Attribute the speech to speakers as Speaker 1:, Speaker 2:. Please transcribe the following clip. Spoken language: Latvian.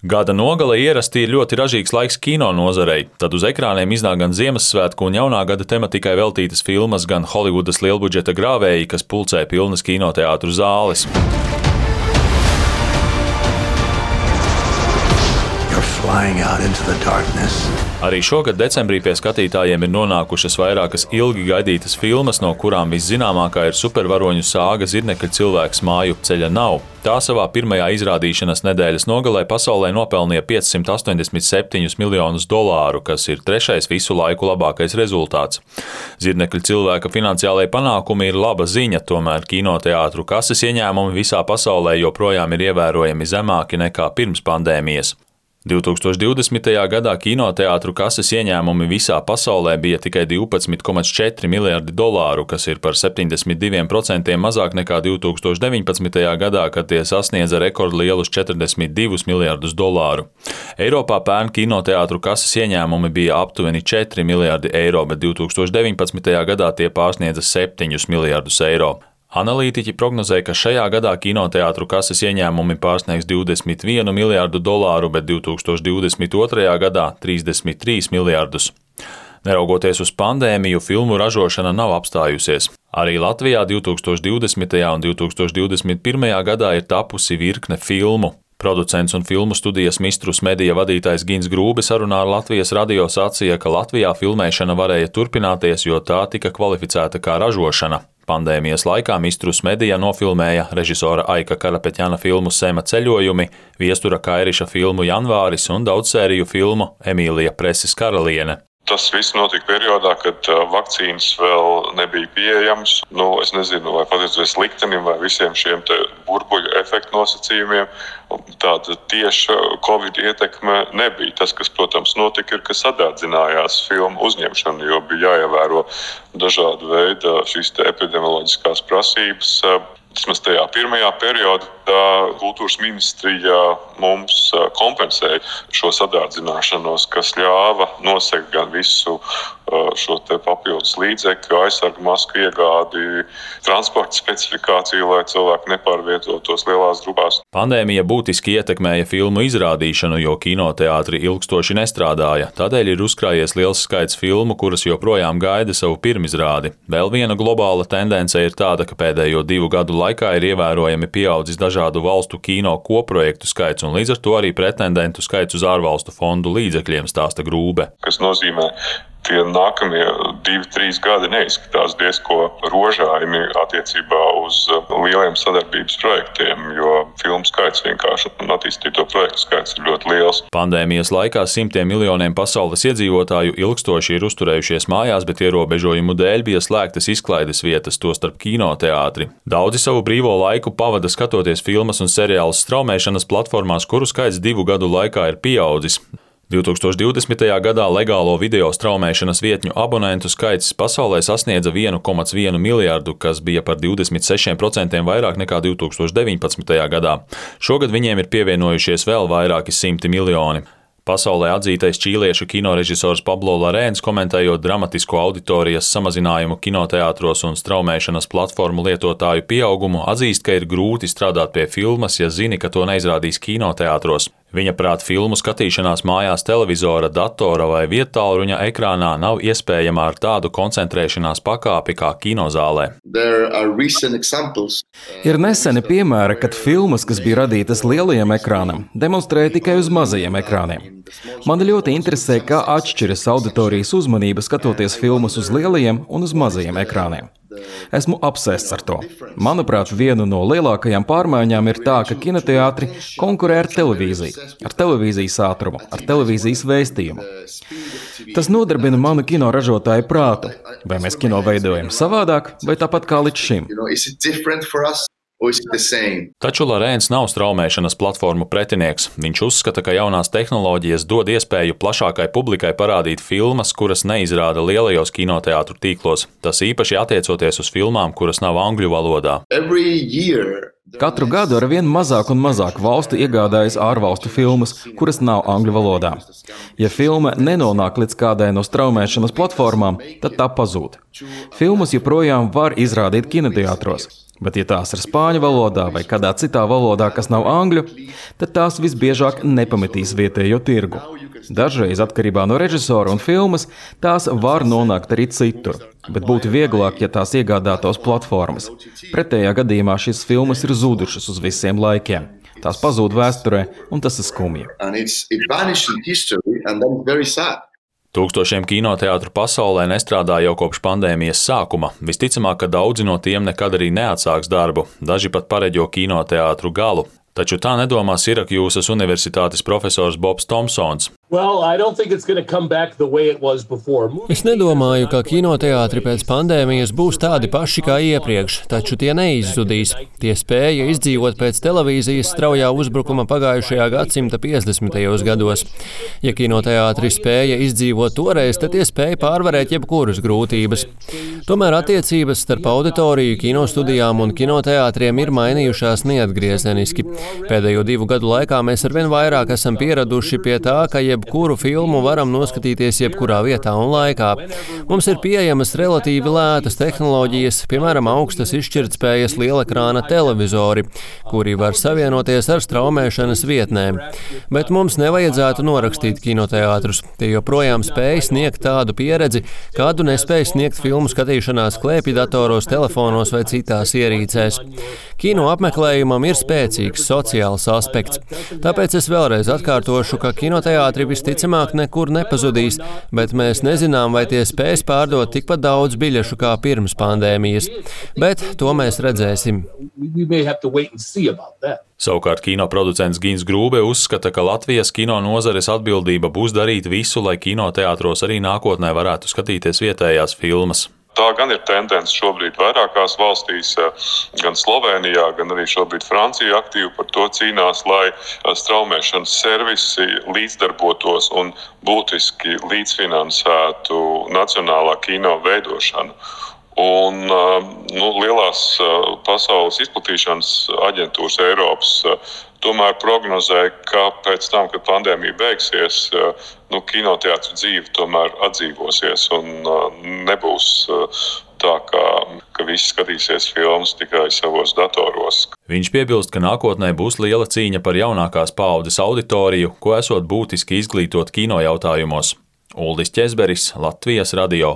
Speaker 1: Gada nogale ierasti ir ļoti ražīgs laiks kino nozarei, tad uz ekrāniem iznāk gan Ziemassvētku un jaunā gada tematikai veltītas filmas, gan Holivudas lielbudžeta grāvēji, kas pulcē pilnas kinoteātru zāles. Arī šogad decembrī pie skatītājiem ir nonākušas vairākas ilgi gaidītas filmas, no kurām viszināmākā ir supervaroņu sāga Zirnekļa cilvēks māju ceļa nav. Tā savā pirmajā izrādīšanas nedēļas nogalē pasaulē nopelnīja $587 miljonus, kas ir trešais visu laiku labākais rezultāts. Zirnekļa cilvēka finansiālajie panākumi ir laba ziņa, tomēr kinoteātru kases ieņēmumi visā pasaulē joprojām ir ievērojami zemāki nekā pirms pandēmijas. 2020. gadā kinoteātru kases ieņēmumi visā pasaulē bija tikai $12,4 miljardi, kas ir par 72% mazāk nekā 2019. gadā, kad tie sasniedza rekordlielus $42 miljardus. Eiropā pērn kinoteātru kases ieņēmumi bija aptuveni €4 miljardi, bet 2019. gadā tie pārsniedza €7 miljardus. Analītiķi prognozē, ka šajā gadā kinoteātru kases ieņēmumi pārsniegs $21 miljardu, bet 2022. gadā 33 miljardus. Neraugoties uz pandēmiju, filmu ražošana nav apstājusies. Arī Latvijā 2020. un 2021. gadā ir tapusi virkne filmu. Producents un filmu studijas Mistrus Media vadītājs Gins Grūbe sarunā ar Latvijas radio sacīja, ka Latvijā filmēšana varēja turpināties, jo tā tika kvalificēta kā ražošana. Pandēmijas laikā Mistrus Media nofilmēja režisora Aika Karapeķjana filmu Sema ceļojumi, Viestura Kairiša filmu Janvāris un daudzsēriju filmu Emīlija Preses karaliene.
Speaker 2: Tas viss notika periodā, kad vakcīnas vēl nebija pieejamas. Es nezinu, vai pateicoties liktenim vai visiem šiem burbuļu efektu nosacījumiem, tāda tieša Covid ietekme nebija. Tas, kas, protams, notika, ir, ka sadārdzinājās filmu uzņemšana, jo bija jāievēro dažādu veidu šīs epidemioloģiskās prasības. Vismaz tajā pirmajā periodā kultūras ministrija mums kompensēja šo sadārdzināšanos, kas ļāva nosegt gan visu šo papildus līdzekļu, aizsargu masku iegādi, transporta specifikāciju, lai cilvēki nepārvietotos lielās grupās.
Speaker 1: Pandēmija būtiski ietekmēja filmu izrādīšanu, jo kinoteātri ilgstoši nestrādāja. Tādēļ ir uzkrājies liels skaits filmu, kuras joprojām gaida savu pirmizrādi. Vēl viena globāla tendence ir tāda, ka pēdējo 2 gadu laikā ir ievērojami pieaudzis dažādu valstu kino koprojektu skaits un līdz ar to arī pretendentu skaits uz ārvalstu fondu līdzekļiem, stāsta Grūbe.
Speaker 2: Kas nozīmē, tie nākamie 2-3 gadi neizskatās diezko rožaini attiecībā uz lieliem sadarbības projektiem, jo filmu skaits vienkārši un attīstīto projektu skaits ir ļoti liels.
Speaker 1: Pandēmijas laikā simtiem miljoniem pasaules iedzīvotāju ilgstoši ir uzturējušies mājās, bet ierobežojumu dēļ bija slēgtas izklaides vietas, tostarp kinoteātri. Daudzi savu brīvo laiku pavada skatoties filmas un seriālus straumēšanas platformās, kuru skaits 2 gadu laikā ir pieaudzis. 2020. gadā legālo video straumēšanas vietņu abonentu skaits pasaulē sasniedza 1,1 miljardu, kas bija par 26% vairāk nekā 2019. gadā. Šogad viņiem ir pievienojušies vēl vairāki 100 miljoni. Pasaulē atzītais čīliešu kinorežisors Pablo Larēns, komentējot dramatisko auditorijas samazinājumu kinoteātros un straumēšanas platformu lietotāju pieaugumu, atzīst, ka ir grūti strādāt pie filmas, ja zini, ka to neizrādīs kinoteātros. Viņa prāt, filmu skatīšanās mājās televizora, datora vai viedtālruņa ekrānā nav iespējama ar tādu koncentrēšanās pakāpi kā kinozālē.
Speaker 3: Ir neseni piemēri, kad filmas, kas bija radītas lielajam ekrānam, demonstrēja tikai uz mazajiem ekrāniem. Mani ļoti interesē, kā atšķiras auditorijas uzmanība skatoties filmas uz lielajiem un uz mazajiem ekrāniem. Esmu apsēsts ar to. Manuprāt, viena no lielākajām pārmaiņām ir tā, ka kinoteātri konkurē ar televīziju, ar televīzijas ātrumu, ar televīzijas vēstījumu. Tas nodarbina manu kino ražotāju prātu. Vai mēs kino veidojam savādāk, vai tāpat kā līdz šim?
Speaker 1: Taču Larēns nav straumēšanas platformu pretinieks. Viņš uzskata, ka jaunās tehnoloģijas dod iespēju plašākai publikai parādīt filmas, kuras neizrāda lielajos kinoteātru tīklos. Tas īpaši attiecoties uz filmām, kuras nav angļu valodā.
Speaker 3: Katru gadu ar vien mazāk un mazāk valstu iegādājas ārvalstu filmas, kuras nav angļu valodā. Ja filma nenonāk līdz kādai no straumēšanas platformām, tad tā pazūd. Filmas joprojām var izrādīt kinoteātros. Bet, ja tās ir spāņu valodā vai kādā citā valodā, kas nav angļu, tad tās visbiežāk nepametīs vietējo tirgu. Dažreiz, atkarībā no režisora un filmas, tās var nonākt arī citur, bet būtu vieglāk, ja tās iegādātos platformas. Pretējā gadījumā šīs filmas ir zudušas uz visiem laikiem. Tās pazūd vēsturē, un tas ir skumji.
Speaker 1: Tūkstošiem kinoteātru pasaulē nestrādā jau kopš pandēmijas sākuma. Visticamāk, ka daudzi no tiem nekad arī neatsāks darbu, daži pat pareģo kinoteātru galu. Taču tā nedomā Sirakjūsas universitātes profesors Bobs Tomsons.
Speaker 4: Es nedomāju, ka kinoteātri pēc pandēmijas būs tādi paši kā iepriekš, taču tie neizzudīs. Tie spēja izdzīvot pēc televīzijas straujā uzbrukuma pagājušajā gadsimta 50. gados. Ja kinoteātri spēja izdzīvot toreiz, tad tie spēja pārvarēt jebkuras grūtības. Tomēr attiecības starp auditoriju, kinostudijām un kinoteātriem ir mainījušās neatgriezeniski. Pēdējo 2 gadu laikā mēs arvien vairāk esam pieraduši pie tā, ka jebkuru filmu varam noskatīties jebkurā vietā un laikā. Mums ir pieejamas relatīvi lētas tehnoloģijas, piemēram, augstas izšķirtspējas lielekrāna televizori, kuri var savienoties ar straumēšanas vietnēm. Bet mums nevajadzētu norakstīt kinoteātrus. Tie joprojām spēj sniegt tādu pieredzi, kādu nespēj sniegt filmu skatīšanās klēpjdatoros, telefonos vai citās ierīcēs. Kino apmeklējumam ir spēcīgs sociāls aspekts. Tāpēc es vēlreiz atkārtošu, ka kinoteātri visticamāk nekur nepazudīs, bet mēs nezinām, vai tie spēs pārdot tikpat daudz biļešu kā pirms pandēmijas. Bet to mēs redzēsim.
Speaker 1: Savukārt kinoproducents Gins Grūbe uzskata, ka Latvijas kino nozares atbildība būs darīt visu, lai kinoteātros arī nākotnē varētu skatīties vietējās filmas.
Speaker 2: Tā gan ir tendence šobrīd vairākās valstīs, gan Slovenijā, gan arī šobrīd Francija aktīvi par to cīnās, lai straumēšanas servisi līdzdarbotos un būtiski līdzfinansētu nacionālā kino veidošanu. Un lielās pasaules izplatīšanas aģentūras Eiropas tomēr prognozēja, ka pēc tam, kad pandēmija beigsies, kinoteātru dzīve tomēr atdzīvosies un nebūs tā, ka visi skatīsies filmas tikai savos datoros.
Speaker 1: Viņš piebilst, ka nākotnē būs liela cīņa par jaunākās paaudzes auditoriju, ko esot būtiski izglītot kino jautājumos. Uldis Ķezberis, Latvijas radio.